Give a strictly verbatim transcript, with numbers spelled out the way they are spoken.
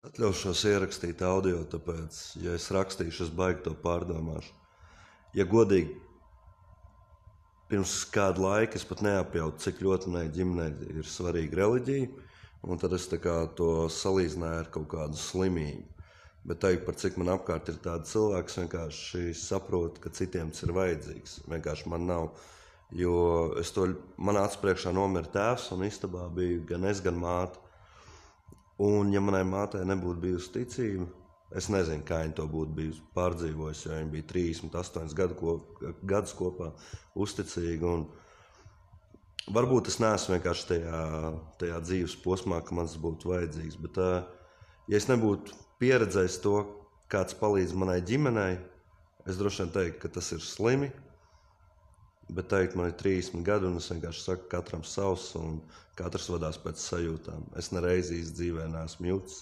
Atļaušos ierakstīt audio, tāpēc, ja es rakstīšu, es baigi to pārdomāšu. Ja godīgi, pirms kādu laiku es pat neapjautu, cik ļoti manai ģimenei ir svarīga reliģija, un tad es tā kā to salīdzināju ar kaut kādu slimību. Bet teikt, par cik man apkārt ir tādi cilvēki, es vienkārši saprotu, ka citiem tas ir vajadzīgs. Vienkārši man nav, jo es to, manā acu priekšā nomira tēvs, un istabā bija gan es, gan māte. Un, ja manai mātei nebūtu bijusi ticība, es nezinu, kā viņa to būtu bijusi pārdzīvojusi, jo viņa bija trīsdesmit astoņus gadu kop, gadus kopā uzticīga. Un varbūt es neesmu vienkārši tajā, tajā dzīves posmā, ka man tas būtu vajadzīgs. Bet, ja es nebūtu pieredzējis to, kāds palīdz manai ģimenei, es droši vien teiktu, ka tas ir slimi. Bet teikt, man ir trīsdesmit gadi, un es vienkārši saku, katram savs, un katrs vadās pēc sajūtām. Es nereiz īsti dzīvē neesmu jūtis